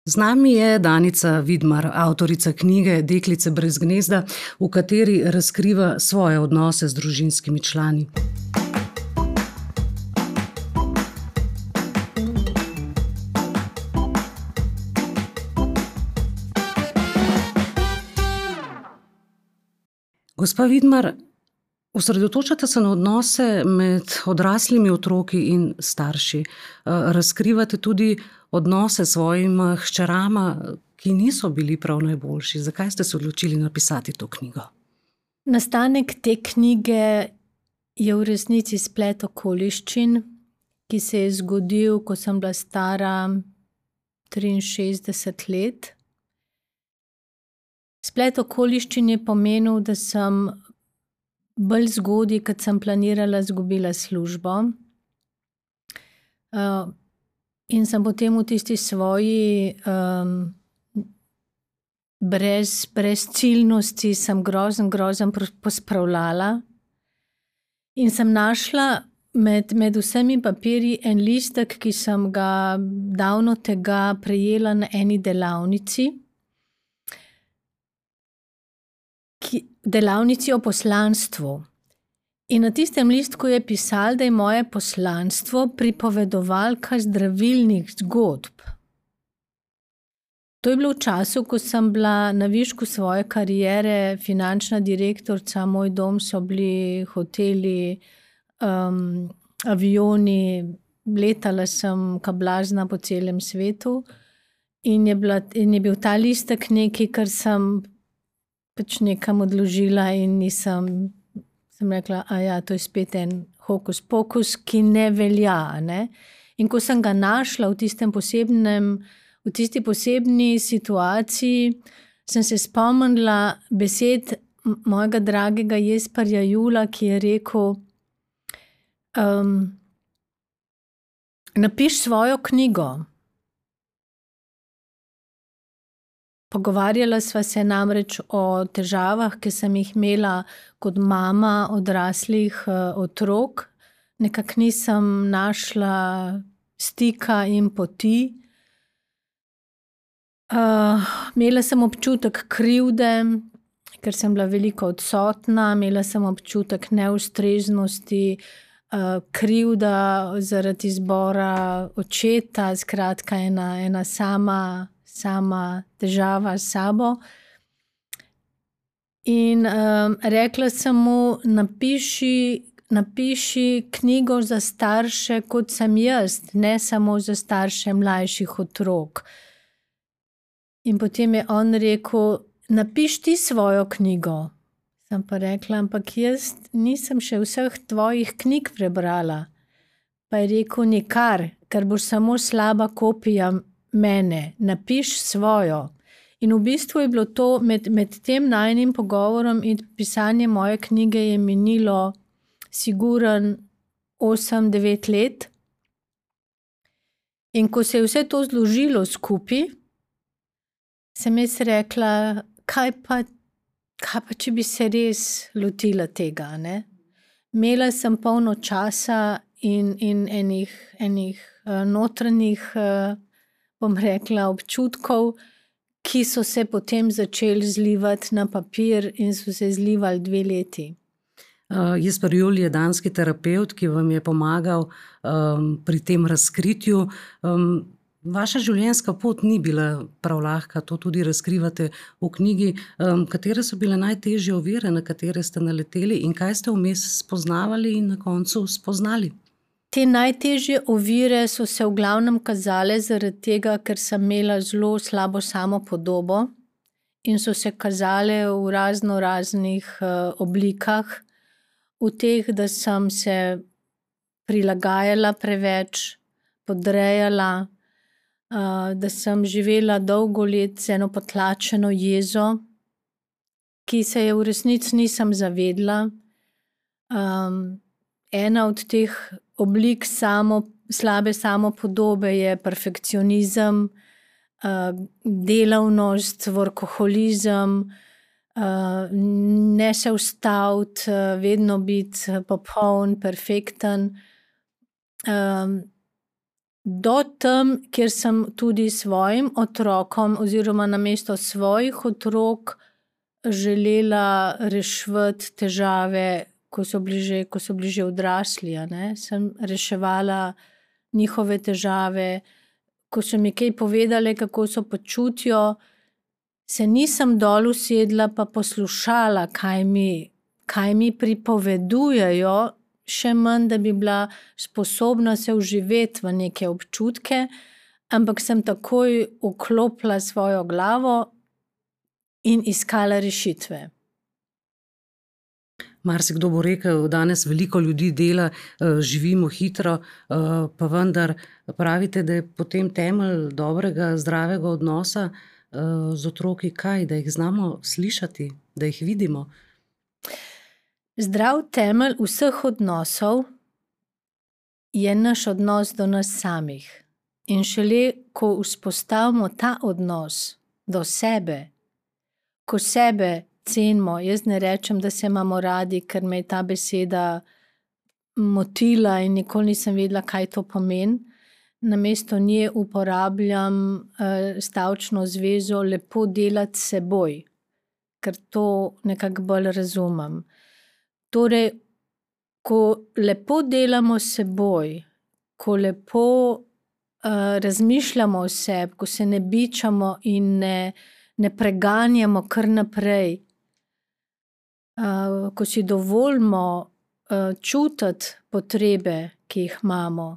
Z nami je Danica Vidmar, avtorica knjige Deklice brez gnezda, v kateri razkriva svoje odnose z družinskimi člani. Gospa Vidmar, osredotočate se na odnose med odraslimi otroki in starši. Razkrivate tudi odnose s svojima hčerama, ki niso bili prav najboljši. Zakaj ste se odločili napisati to knjigo? Nastanek te knjige je v resnici splet okoliščin, ki se je zgodil, ko sem bila stara 63 let. Splet okoliščin je pomenil, da sem bolj zgodaj, kot sem planirala, izgubila službo. In sem potem v tisti svoji brezciljnosti sem grozen pospravljala. In sem našla med vsemi papirji en listek, ki sem ga davno tega prejela na eni delavnici. Delavnici o poslanstvu. In na tistem listku je pisalo, da je moje poslanstvo pripovedovalka zdravilnih zgodb. To je bilo v času, ko sem bila na višku svoje kariere finančna direktorica, moj dom so bili hoteli, avioni, letala sem ka blazna po celem svetu in je bil ta listek nekaj, kar sem pač nekam odložila in sem rekla, to je spet en hokus pokus, ki ne velja, ne. In ko sem ga našla v tisti posebni situaciji, sem se spomnila besed mojega dragega Jesperja Jula, ki je rekel, napiši svojo knjigo. Pogovarjala sva se namreč o težavah, ki sem jih imela kot mama odraslih otrok. Nekako nisem našla stika in poti. Imela sem občutek krivde, ker sem bila veliko odsotna, imela sem občutek neustreznosti, krivda zaradi izbora očeta, skratka ena sama težava s sabo. In rekla sem mu, napiši knjigo za starše, kot sem jaz, ne samo za starše mlajših otrok. In potem je on rekel, napiši ti svojo knjigo. Sem pa rekla, ampak jaz nisem še vseh tvojih knjig prebrala. Pa je rekel, nikar, ker boš samo slaba kopija mene, napiši svojo. In v bistvu je bilo to med tem najinim pogovorom in pisanjem moje knjige je minilo sigurno 8-9 let. In ko se je vse to zložilo skupaj, sem jaz rekla, kaj pa, če bi se res lotila tega, ne? Imela sem polno časa in enih notranjih, bom rekla, občutkov, ki so se potem začeli zlivati na papir in so se zlivali 2 leti. Jesper Jul je danski terapevt, ki vam je pomagal pri tem razkritju. Vaša življenjska pot ni bila prav lahka, to tudi razkrivate v knjigi. Katere so bile najtežje ovire, na katere ste naleteli in kaj ste vmes spoznavali in na koncu spoznali? Te najtežje ovire so se v glavnem kazale zaradi tega, ker sem imela zelo slabo samopodobo in so se kazale v raznih oblikah. V teh, da sem se prilagajala preveč, podrejala, da sem živela dolgo let z eno potlačeno jezo, ki se je v resnici nisem zavedla. Ena od teh oblik slabe samopodobe je perfekcionizem, delavnost, workoholizem, ne se ustaviti, vedno biti popoln, perfekten. do tam, kjer sem tudi svojim otrokom oziroma namesto svojih otrok želela reševati težave, ko so bili že odrasli, sem reševala njihove težave, ko so mi kaj povedali, kako se počutijo, se nisem dol usedla pa poslušala, kaj mi pripovedujejo, še manj, da bi bila sposobna se vživeti v neke občutke, ampak sem takoj vklopila svojo glavo in iskala rešitve. Marsikdo bo rekel, danes veliko ljudi dela, živimo hitro, pa vendar pravite, da je potem temelj dobrega, zdravega odnosa z otroki kaj? Da jih znamo slišati, da jih vidimo? Zdrav temelj vseh odnosov je naš odnos do nas samih. In šele, ko vzpostavimo ta odnos do sebe, ko sebe cenimo, jaz ne rečem, da se imamo radi, ker me je ta beseda motila in nikoli nisem vedela, kaj to pomeni. Namesto nje uporabljam stavčno zvezo lepo delati s seboj, ker to nekako bolj razumem. Torej, ko lepo delamo s seboj, ko lepo razmišljamo o sebi, ko se ne bičamo in ne preganjamo kar naprej, ko si dovolimo čutiti potrebe, ki jih imamo,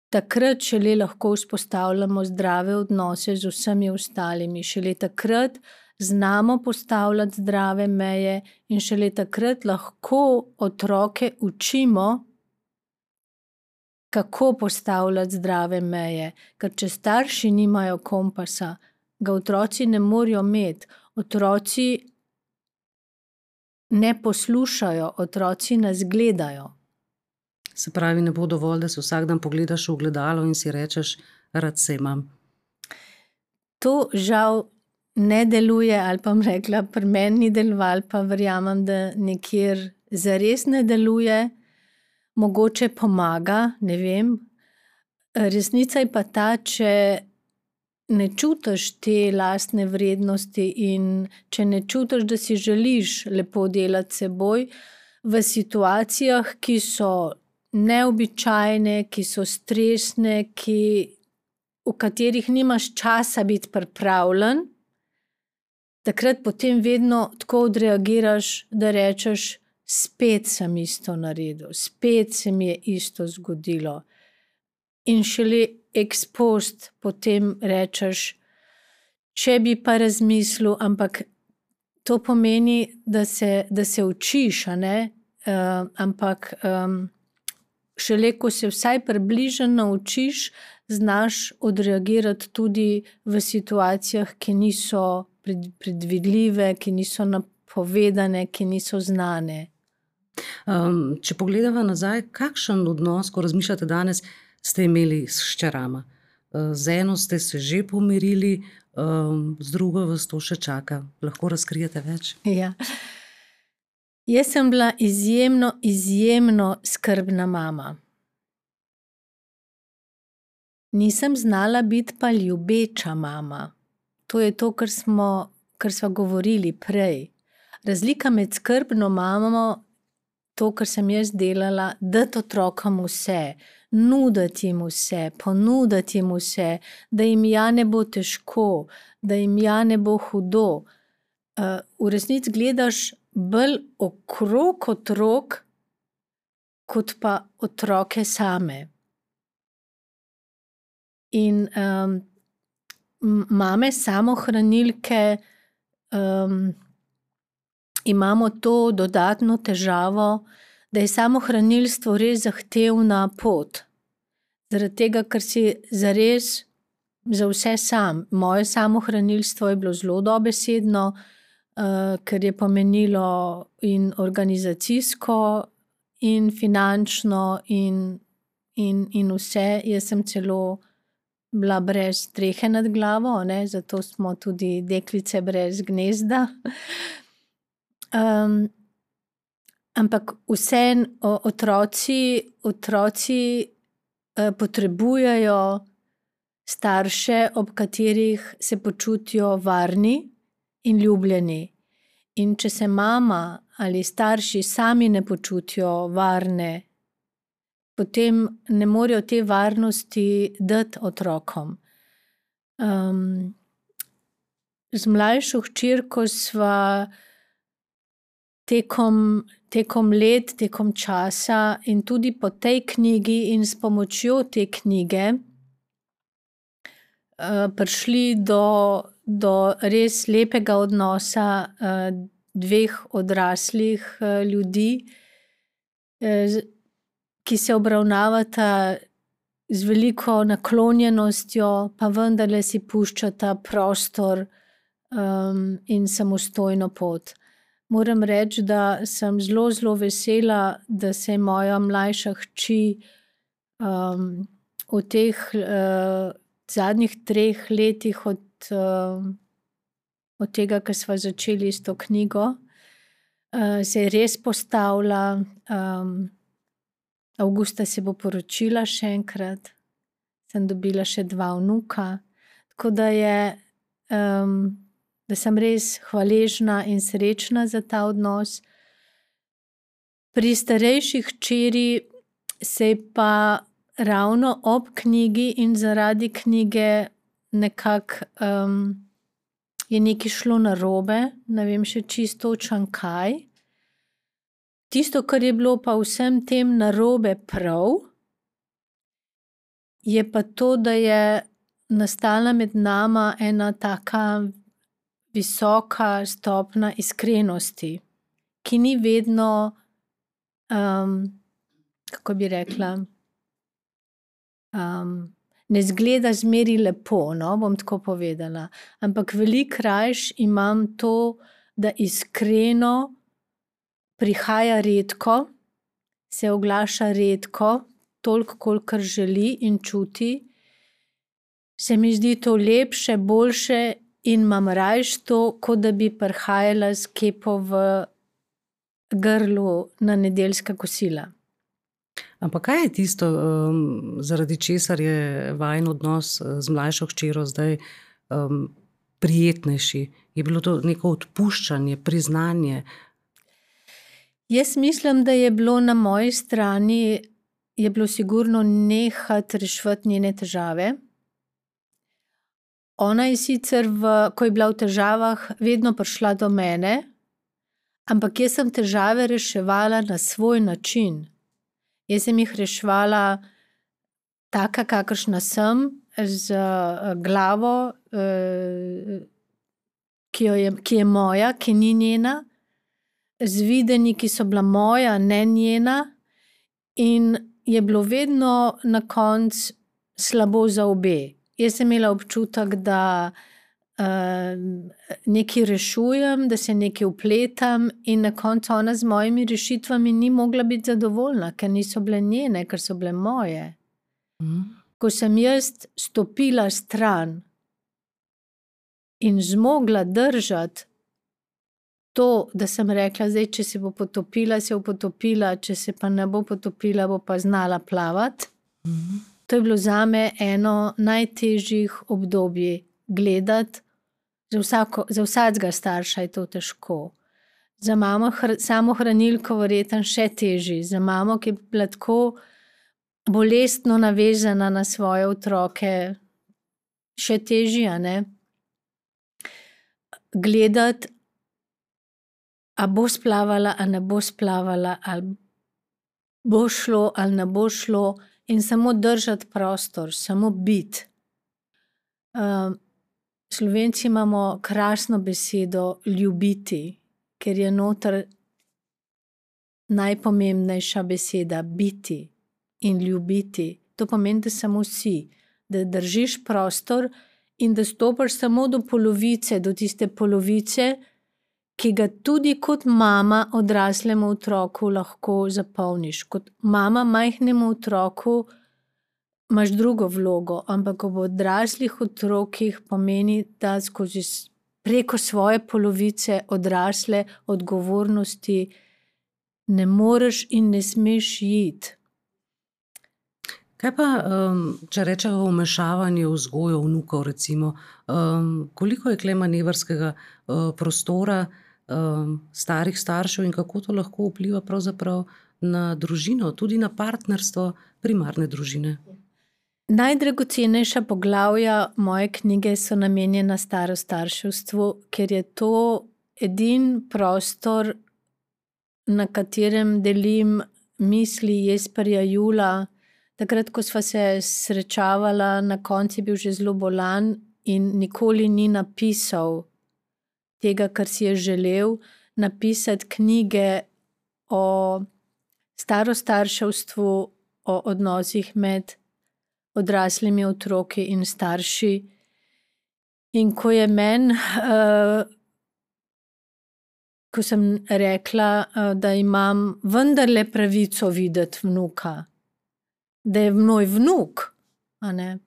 takrat šele lahko vzpostavljamo zdrave odnose z vsemi ostalimi. Šele takrat znamo postavljati zdrave meje in šele takrat lahko otroke učimo, kako postavljati zdrave meje. Ker če starši nimajo kompasa, ga otroci ne morejo imeti. Otroci ne poslušajo, otroci nas gledajo. Se pravi, ne bo dovolj, da se vsak dan pogledaš v ogledalo in si rečeš, rad se imam. To žal ne deluje, ali pa bom rekla, pri meni ni delovalo, pa verjamem, da nekjer zares ne deluje. Mogoče pomaga, ne vem. Resnica je pa ta, če ne čutiš te lastne vrednosti in če ne čutiš, da si želiš lepo delati s seboj v situacijah, ki so neobičajne, ki so stresne, v katerih nimaš časa biti pripravljen, takrat potem vedno tako odreagiraš, da rečeš, spet sem isto naredil, spet se mi je isto zgodilo. In šele ex post potem rečeš, če bi pa razmislil, ampak to pomeni, da se učiš, ampak šele, ko se vsaj približno naučiš, znaš odreagirati tudi v situacijah, ki niso predvidljive, ki niso napovedane, ki niso znane. Če pogledava nazaj, kakšen odnos, ko razmišljate danes, ste imeli s hčerama? Z eno ste se že pomirili, z drugo vas to še čaka. Lahko razkrijete več? Ja. Jaz sem bila izjemno skrbna mama. Nisem znala biti pa ljubeča mama. To je to, kar sva govorili prej. Razlika med skrbno mamo, to, kar sem jaz delala, dati otrokom vse, nuditi jim vse, ponuditi jim vse, da jim ja ne bo težko, da jim ja ne bo hudo. V resnici gledaš bolj okrog otrok, kot pa otroke same. In mame samohranilke imamo to dodatno težavo, da je samohranilstvo res zahtevna pot. Zaradi tega, ker si zares za vse sam. Moje samohranilstvo je bilo zelo dobesedno, ker je pomenilo in organizacijsko, in finančno, in vse. Jaz sem celo bila brez strehe nad glavo, zato smo tudi deklice brez gnezda. Ampak vseeno otroci potrebujejo starše, ob katerih se počutijo varni in ljubljeni. In če se mama ali starši sami ne počutijo varne, potem ne morejo te varnosti dati otrokom. Z mlajšo hčerko sva tekom let, tekom časa in tudi po tej knjigi in s pomočjo te knjige prišli do res lepega odnosa dveh odraslih ljudi, ki se obravnavata z veliko naklonjenostjo, pa vendarle si puščata prostor in samostojno pot. Moram reči, da sem zelo, zelo vesela, da se je moja mlajša hči v teh zadnjih 3 letih od tega, ko sva začeli s to knjigo, se je res postavila. Avgusta se bo poročila še enkrat, sem dobila še 2 vnuka, tako da sem res hvaležna in srečna za ta odnos. Pri starejši hčeri se je pa ravno ob knjigi in zaradi knjige nekako je nekaj šlo narobe, ne vem še čisto točno kaj. Tisto, kar je bilo pa vsem tem narobe prav, je pa to, da je nastala med nama ena taka visoka stopnja iskrenosti, ki ni vedno, kako bi rekla, ne izgleda zmeraj lepo, no, bom tako povedala. Ampak veliko rajši imam to, da iskreno prihaja redko, se oglaša redko, toliko, kolikor želi in čuti. Se mi zdi to lepše, boljše in imam rajši to, kot da bi prihajala s kepo v grlu na nedeljska kosila. Ampak kaj je tisto, zaradi česar je vajin odnos z mlajšo hčerjo zdaj prijetnejši? Je bilo to neko odpuščanje, priznanje? Jaz mislim, da je bilo na moji strani, je bilo sigurno nehati reševati njene težave. Ona je sicer, ko je bila v težavah, vedno prišla do mene, ampak jaz sem težave reševala na svoj način. Jaz sem jih reševala taka, kakršna sem, z glavo, ki je moja, ki ni njena, z videnji, ki so bila moja, ne njena, in je bilo vedno na koncu slabo za obe. Jaz sem imela občutek, da nekaj rešujem, da se nekaj vpletam in na koncu ona z mojimi rešitvami ni mogla biti zadovoljna, ker niso bile njene, ker so bile moje. Ko sem jaz stopila stran in zmogla držati to, da sem rekla, zdaj, če se bo potopila, se bo potopila, če se pa ne bo potopila, bo pa znala plavati. To je bilo zame eno najtežjih obdobij gledati. Za vsakega starša je to težko. Za mamo samohranilko verjetno še težje. Za mamo, ki je bila tako bolestno navezana na svoje otroke, še težje, a ne? Gledati, a bo splavala, a ne bo splavala, ali bo šlo, ali ne bo šlo, in samo držati prostor, samo biti. Slovenci imamo krasno besedo ljubiti, ker je noter najpomembnejša beseda biti in ljubiti. To pomeni, da samo si, da držiš prostor in da stopiš samo do polovice, do tiste polovice, ki ga tudi kot mama odraslemu otroku lahko zapolniš. Kot mama majhnemu otroku imaš drugo vlogo, ampak ob odraslih otrokih pomeni, da preko svoje polovice odrasle odgovornosti ne moreš in ne smeš iti. Kaj pa, če rečemo vmešavanje v vzgojo vnukov, recimo, koliko je tule manevrskega prostora starih staršev in kako to lahko vpliva pravzaprav na družino, tudi na partnerstvo primarne družine? Najdragocenejša poglavja moje knjige so namenjena starostarševstvu, ker je to edini prostor, na katerem delim misli Jesperja Jula. Takrat, ko sva se srečavala, na koncu je bil že zelo bolan in nikoli ni napisal tega, kar si je želel, napisati knjige o starostarševstvu, o odnosih med odraslimi otroki in starši. In ko je meni, ko sem rekla, da imam vendarle pravico videti vnuka, da je moj vnuk, a ne.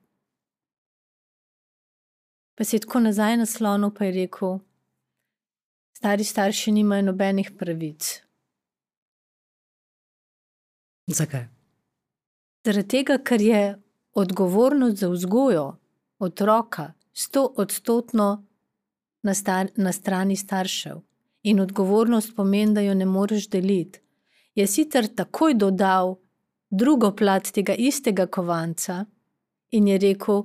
Pa se je tako nazaj naslonil, pa je rekel, stari starši nimajo nobenih pravic. Zakaj? Zaradi tega, ker je odgovornost za vzgojo otroka 100% na strani staršev. In odgovornost pomeni, da jo ne moreš deliti. Je sicer takoj dodal drugo plat tega istega kovanca in je rekel,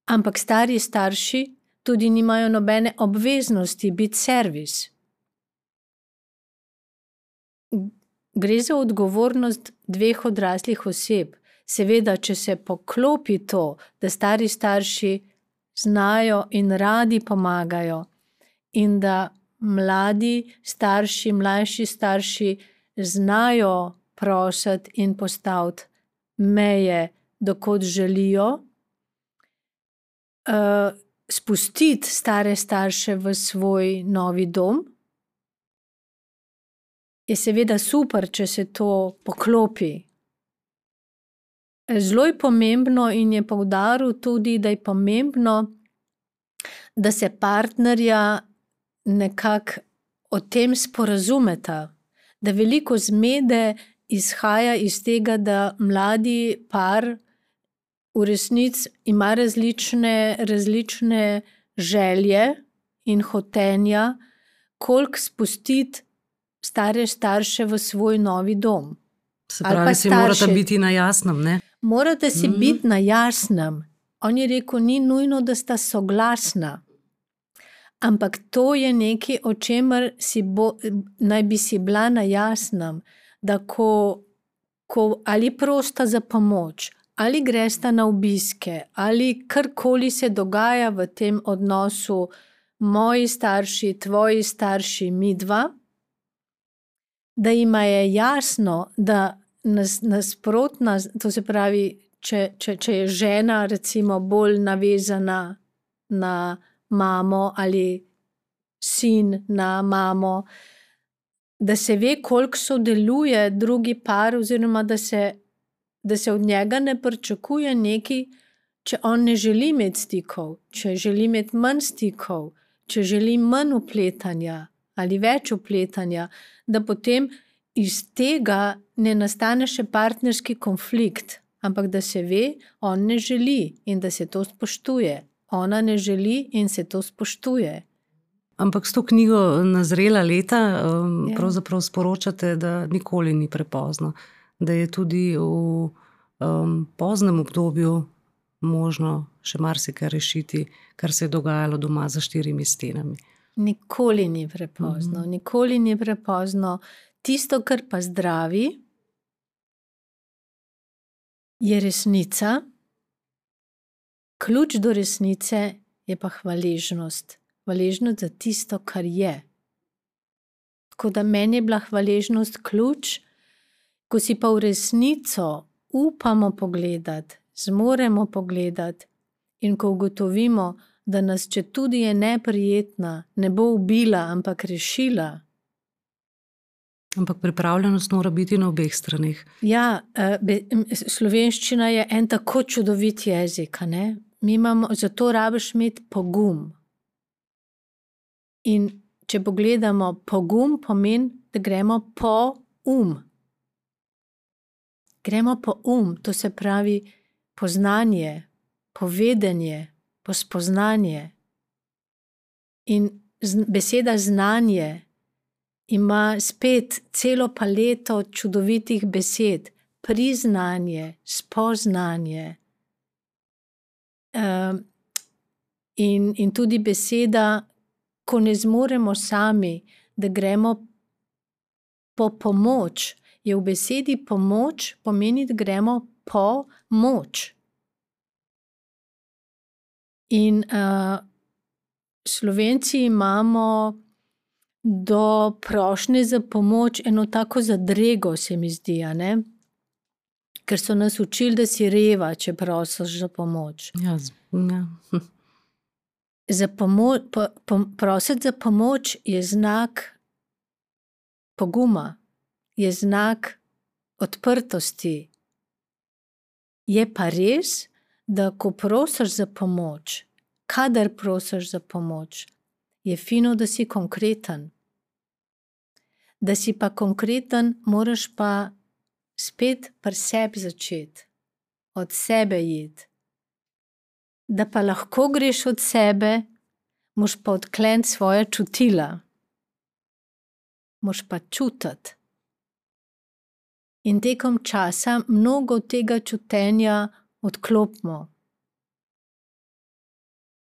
ampak stari starši tudi nimajo nobene obveznosti biti servis. Gre za odgovornost dveh odraslih oseb. Seveda, če se poklopi to, da stari starši znajo in radi pomagajo in da mladi starši, mlajši starši znajo prositi in postaviti meje, dokot želijo, spustiti stare starše v svoj novi dom, je seveda super, če se to poklopi. Zelo je pomembno in je poudaril tudi, da je pomembno, da se partnerja nekako o tem sporazumeta, da veliko zmede izhaja iz tega, da mladi par v resnici ima različne želje in hotenja, koliko spustiti stare starše v svoj novi dom. Se pravi, si morata biti na jasnem, ne? Morate si biti na jasnem. On je rekel, ni nujno, da sta soglasna. Ampak to je nekaj, o čemer naj bi si bila na jasnem, da ko ali prosta za pomoč, ali gresta na obiske, ali karkoli se dogaja v tem odnosu, moji starši, tvoji starši, midva, da jima je jasno, da nasprotna, to se pravi, če je žena recimo bolj navezana na mamo ali sin na mamo, da se ve, koliko sodeluje drugi par oziroma da se od njega ne pričakuje nekaj, če on ne želi imeti stikov, če želi imeti manj stikov, če želi manj vpletanja ali več vpletanja, da potem iz tega ne nastane še partnerski konflikt, ampak da se ve, on ne želi in da se to spoštuje. Ona ne želi in se to spoštuje. Ampak s to knjigo na zrela leta pravzaprav sporočate, da nikoli ni prepozno. Da je tudi v poznem obdobju možno še marsikaj rešiti, kar se je dogajalo doma za 4 stenami. Nikoli ni prepozno. Nikoli ni prepozno. Tisto, kar pa zdravi, je resnica. Ključ do resnice je pa hvaležnost. Hvaležnost za tisto, kar je. Tako da meni je bila hvaležnost ključ, ko si pa v resnico upamo pogledati, zmoremo pogledati in ko ugotovimo, da nas, če tudi je neprijetna, ne bo ubila, ampak rešila. Ampak pripravljenost mora biti na obeh straneh. Ja, slovenščina je en tako čudovit jezik, ne? Zato rabiš imeti pogum. In če pogledamo, pogum pomeni, da gremo po Gremo po to se pravi poznanje, povedanje, pospoznanje. In beseda znanje ima spet celo paleto čudovitih besed. Priznanje, spoznanje. In tudi beseda, ko ne zmoremo sami, da gremo po pomoč, je v besedi pomoč, pomeni, da gremo po moč. In Slovenci imamo do prošnje za pomoč eno tako zadrego, se mi zdi, a ne? Ker so nas učili, da si reva, če prosiš za pomoč. Ja, Prositi za pomoč je znak poguma, je znak odprtosti. Je pa res, da ko prosiš za pomoč, kadar prosiš za pomoč, je fino, da si konkreten. Da si pa konkreten, moraš pa spet pri sebi začeti, od sebe iti. Da pa lahko greš od sebe, moš pa odkleniti svoja čutila. Moš pa čutiti. In tekom časa mnogo tega čutenja odklopimo.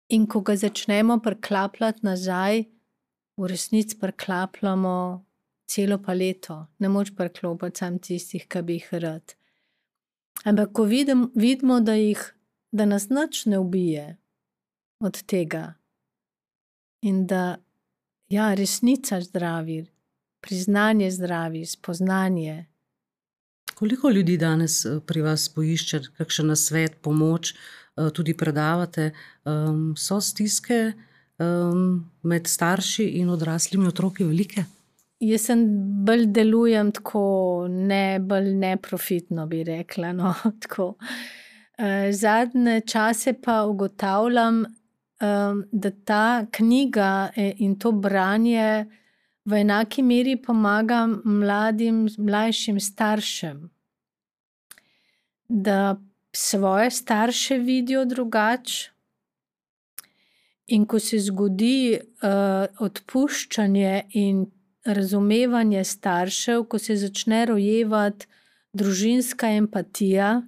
In ko ga začnemo priklapljati nazaj, v resnici priklapljamo celo paleto. Ne moč priklopiti samo tistih, ki bi jih rad. Ampak ko vidimo, da nas nič ne ubije od tega in da resnica zdravi, priznanje zdravi, spoznanje. Koliko ljudi danes pri vas poišče kakšen nasvet, pomoč, tudi predavate? So stiske med starši in odraslimi otroki velike? Jaz bolj delujem tako, bolj neprofitno bi rekla, no, tako. Zadnje čase pa ugotavljam, da ta knjiga in to branje v enaki meri pomaga mlajšim staršem, da svoje starše vidijo drugače. In ko se zgodi odpuščanje in razumevanje staršev, ko se začne rojevati družinska empatija,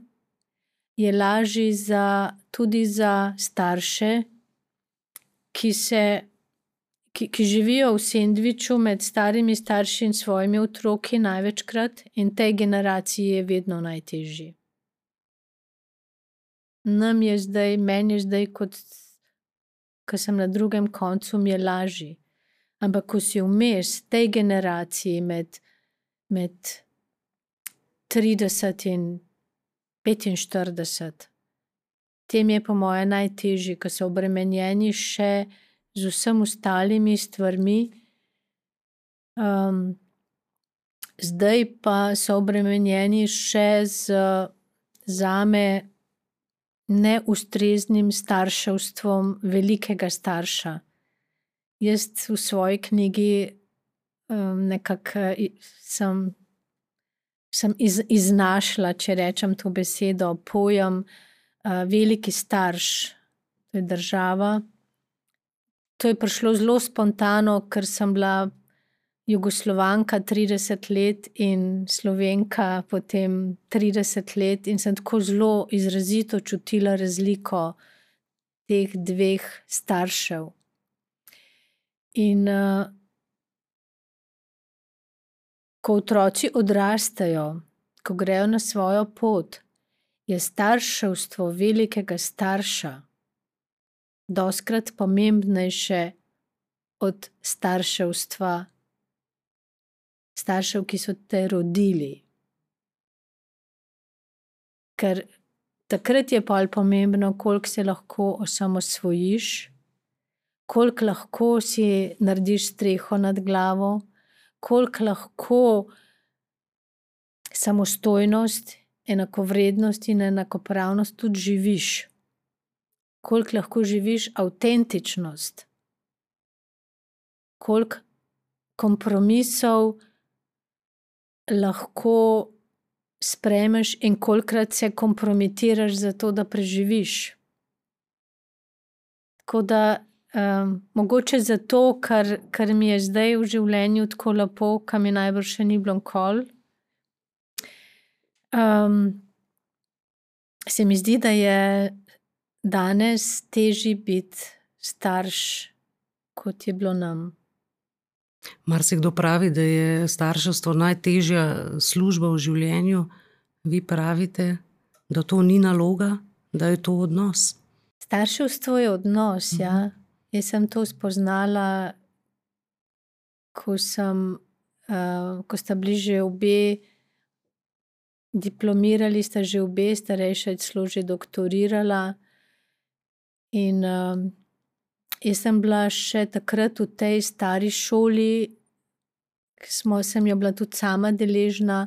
je lažje tudi za starše, ki živijo v sendviču med starimi starši in svojimi otroki največkrat, in tej generaciji je vedno najtežje. Meni je zdaj, ko sem na drugem koncu, mi je lažje. Ampak ko si vmes tej generaciji med 30 in 45, tem je po moje najtežje, ko so obremenjeni še z vsem ostalimi stvarmi. Zdaj pa so obremenjeni še zame neustreznim starševstvom velikega starša. Jaz v svoji knjigi nekako sem iznašla, če rečem to besedo, pojem veliki starš, to je država. To je prišlo zelo spontano, ker sem bila Jugoslovanka 30 let in Slovenka potem 30 let in sem tako zelo izrazito čutila razliko teh dveh staršev. In ko otroci odrastejo, ko grejo na svojo pot, je starševstvo velikega starša dostikrat pomembnejše od starševstva staršev, ki so te rodili. Ker takrat je pol pomembno, koliko se lahko osamosvojiš, koliko lahko si narediš streho nad glavo, koliko lahko samostojnost, enakovrednost in enakopravnost tudi živiš. Koliko lahko živiš avtentičnost. Koliko kompromisov lahko sprejmeš in kolikrat se kompromitiraš za to, da preživiš. Tako da mogoče zato, ker mi je zdaj v življenju tako lepo, kar mi najbrž še ni bilo nikoli, se mi zdi, da je danes težje biti starš, kot je bilo nam. Marsikdo pravi, da je starševstvo najtežja služba v življenju. Vi pravite, da to ni naloga, da je to odnos. Starševstvo je odnos, ja. Jaz sem to spoznala, ko sta bili že obe diplomirali, sta že obe, starejša je celo že doktorirala. In jaz sem bila še takrat v tej stari šoli, sem jo bila tudi sama deležna.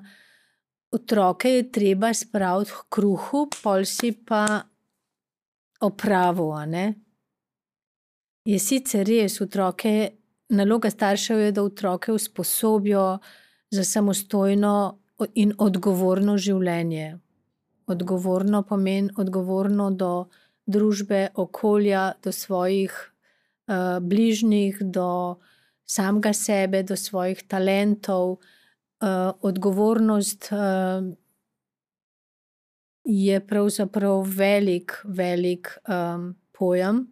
Otroke je treba spraviti h kruhu, pol si pa opravil, a ne. Je sicer res, naloga staršev je, da otroke usposobijo za samostojno in odgovorno življenje. Odgovorno pomeni odgovorno do družbe, okolja, do svojih bližnjih, do samega sebe, do svojih talentov. Odgovornost je pravzaprav velik pojem,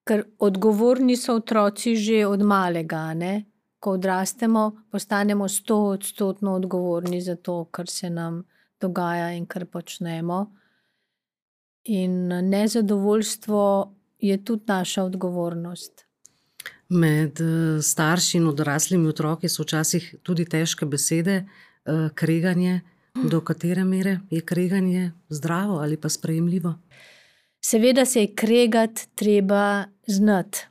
ker odgovorni so otroci že od malega, ne. Ko odrastemo, postanemo 100% odgovorni za to, kar se nam dogaja in kar počnemo. In nezadovoljstvo je tudi naša odgovornost. Med starši in odraslimi otroki so včasih tudi težke besede, kreganje. Do katere mere je kreganje zdravo ali pa sprejemljivo? Seveda se je kregati treba znati.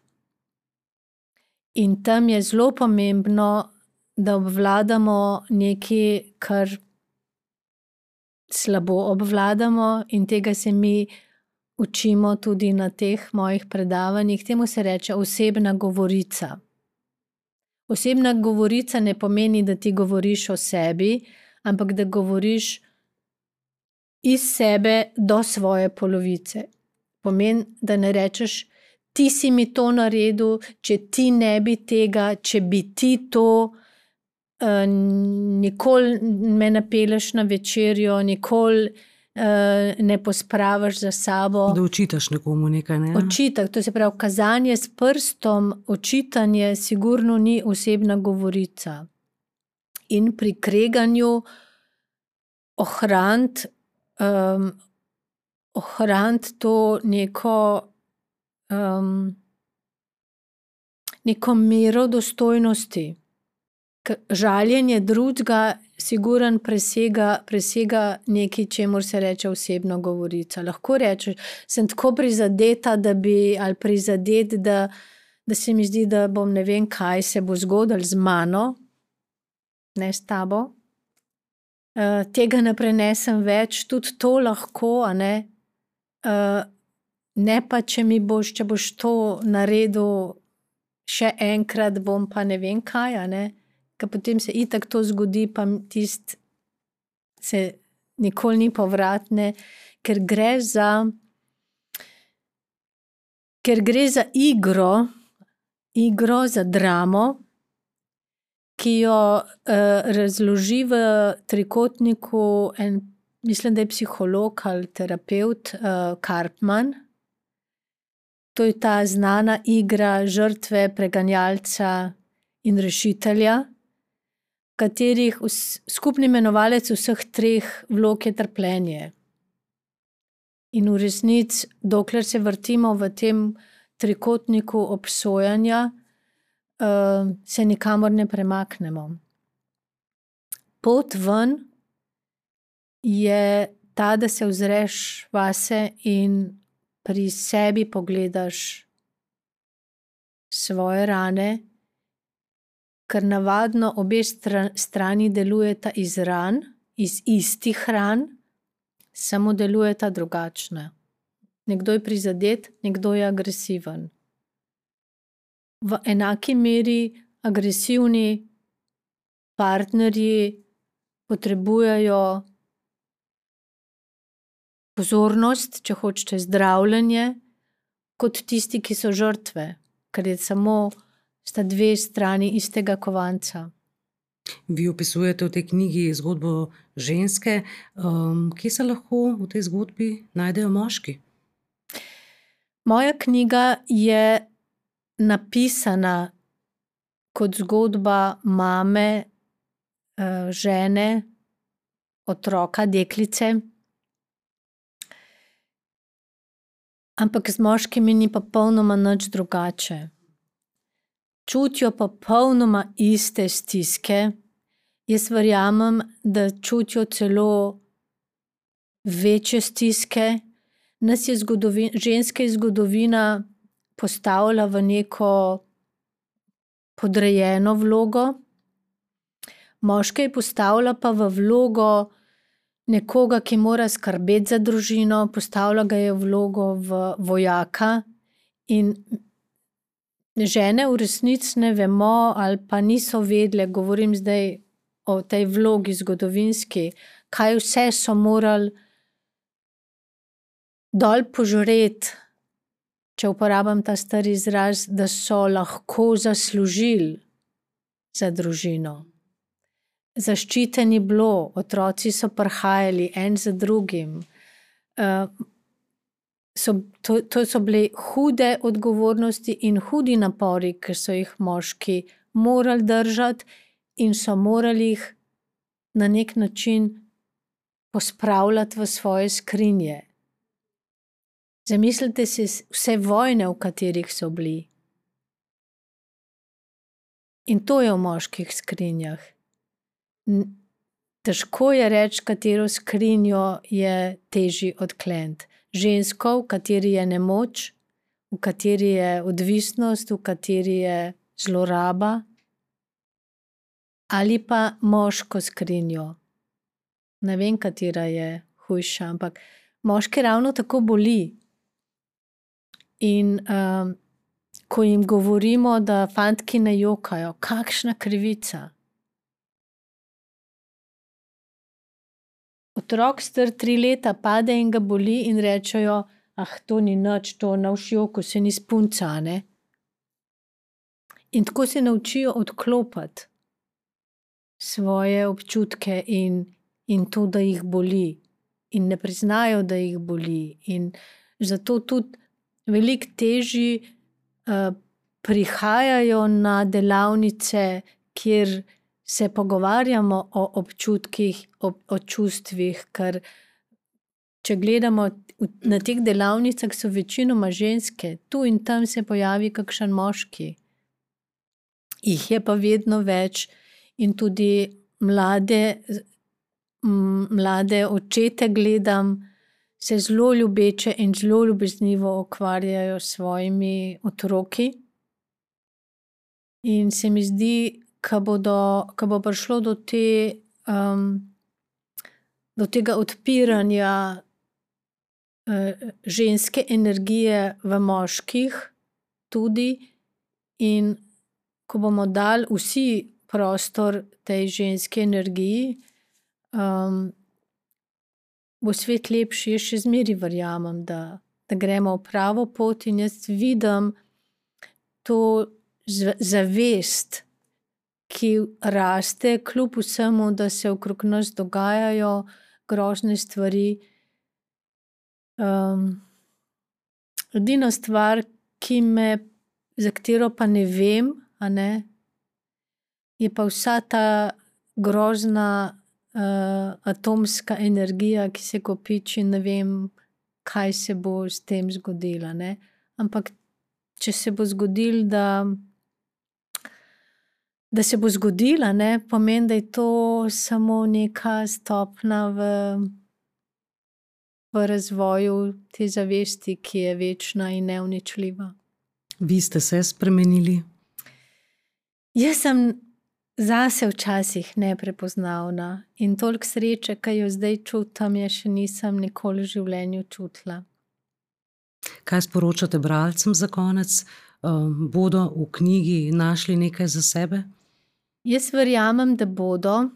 In tam je zelo pomembno, da obvladamo nekaj, kar slabo obvladamo, in tega se mi učimo tudi na teh mojih predavanjih. Temu se reče osebna govorica. Osebna govorica ne pomeni, da ti govoriš o sebi, ampak da govoriš iz sebe do svoje polovice. Pomeni, da ne rečeš, ti si mi to naredil, če ti ne bi tega, če bi ti to, nikoli me ne pelješ na večerjo, nikoli ne pospravaš za sabo. Da očitaš nekomu nekaj, ne? Očitek, to se pravi, kazanje s prstom, očitanje sigurno ni osebna govorica. In pri kreganju ohraniti to neko mero dostojnosti. Žaljenje drugega sigurno presega nekaj, čemur se reče osebna govorica. Lahko rečeš, sem tako prizadeta, ali prizadet, da se mi zdi, da bom ne vem kaj se bo zgodilo z mano, ne s tabo. Tega ne prenesem več, tudi to lahko, a ne. Ne pa, če boš to naredil še enkrat, bom pa ne vem kaj, a ne. Ker potem se itak to zgodi, pa tisto se nikoli ni povratne, ker gre za igro, za dramo, ki jo razloži v trikotniku mislim, da je psiholog ali terapevt, Karpman. To je ta znana igra žrtve, preganjalca in rešitelja, katerih skupni imenovalec vseh treh vlog je trpljenje. In v resnici, dokler se vrtimo v tem trikotniku obsojanja, se nikamor ne premaknemo. Pot ven je ta, da se ozreš vase in pri sebi pogledaš svoje rane, ker navadno obe strani delujeta iz ran, iz istih ran, samo delujeta drugačne. Nekdo je prizadet, nekdo je agresiven. V enaki meri agresivni partnerji potrebujejo pozornost, če hočete zdravljenje, kot tisti, ki so žrtve, ker je sta dve strani istega kovanca. Vi opisujete v tej knjigi zgodbo ženske. Kje se lahko v tej zgodbi najdejo moški? Moja knjiga je napisana kot zgodba mame, žene, otroka, deklice. Ampak z moškimi ni popolnoma nič drugače. Čutijo popolnoma iste stiske. Jaz verjamem, da čutijo celo večje stiske. Nas je ženske zgodovina postavila v neko podrejeno vlogo, moške je postavila pa v vlogo nekoga, ki mora skrbeti za družino, postavila ga je v vlogo vojaka in žene v resnici ne vemo ali pa niso vedele, govorim zdaj o tej vlogi zgodovinski, kaj vse so morali dol požreti, če uporabim ta stari izraz, da so lahko zaslužili za družino. Zaščiteni bilo, otroci so prihajali en za drugim. To so bile hude odgovornosti in hudi napori, ker so jih moški morali držati in so morali jih na nek način pospravljati v svoje skrinje. Zamislite si vse vojne, v katerih so bili. In to je v moških skrinjah. Težko je reči, katero skrinjo je težje odkleniti. Žensko, v kateri je nemoč, v kateri je odvisnost, v kateri je zloraba, ali pa moško skrinjo. Ne vem, katera je hujša, ampak moške ravno tako boli. In ko jim govorimo, da fantki ne jokajo, kakšna krivica. Otrok star 3 leta pade in ga boli in rečejo, to ni nič, to navš joku, se ni spunca, ne. In tako se naučijo odklopiti svoje občutke in to, da jih boli. In ne priznajo, da jih boli. In zato tudi veliko težje prihajajo na delavnice, kjer se pogovarjamo o občutkih, o čustvih, ker če gledamo na teh delavnicah, so večinoma ženske, tu in tam se pojavi kakšen moški. Jih je pa vedno več in tudi mlade očete gledam, se zelo ljubeče in zelo ljubeznivo ukvarjajo s svojimi otroki. In se mi zdi, ko bo prišlo do tega odpiranja ženske energije v moških tudi in ko bomo dali vsi prostor tej ženski energiji, bo svet lepši. Jaz še zmeraj verjamem, da gremo v pravo pot in jaz vidim to zavest, ki raste kljub vsemu, da se okrog nas dogajajo grozne stvari. Edina stvar, za katero pa ne vem, je pa vsa ta grozna atomska energija, ki se kopiči, ne vem, kaj se bo s tem zgodilo, ne. Ampak če se bo zgodilo, da se bo zgodila, ne, pomeni, da je to samo neka stopnja v razvoju te zavesti, ki je večna in neuničljiva. Vi ste se spremenili? Jaz sem zase včasih neprepoznavna in toliko sreče, ki jo zdaj čutim, je še nisem nikoli v življenju čutila. Kaj sporočate bralcem za konec? Bodo v knjigi našli nekaj za sebe? Jaz verjamem, da bodo.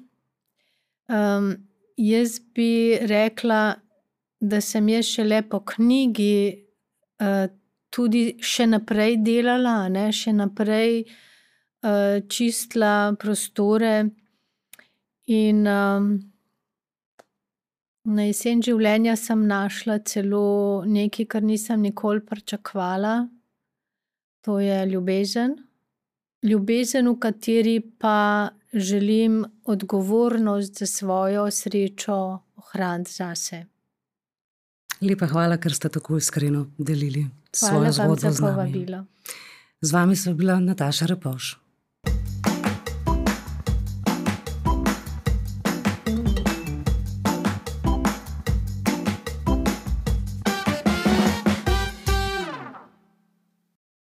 Jaz bi rekla, da sem jaz šele po knjigi tudi še naprej delala, še naprej čistila prostore in na jesen življenja sem našla celo nekaj, kar nisem nikoli pričakovala. To je ljubezen. Ljubezen, v kateri pa želim odgovornost za svojo srečo ohraniti zase. Lepa hvala, ker ste tako iskreno delili svojo Hvala vam zgodbo za z nami. povabilo. Z vami sva bila Nataša Repovž.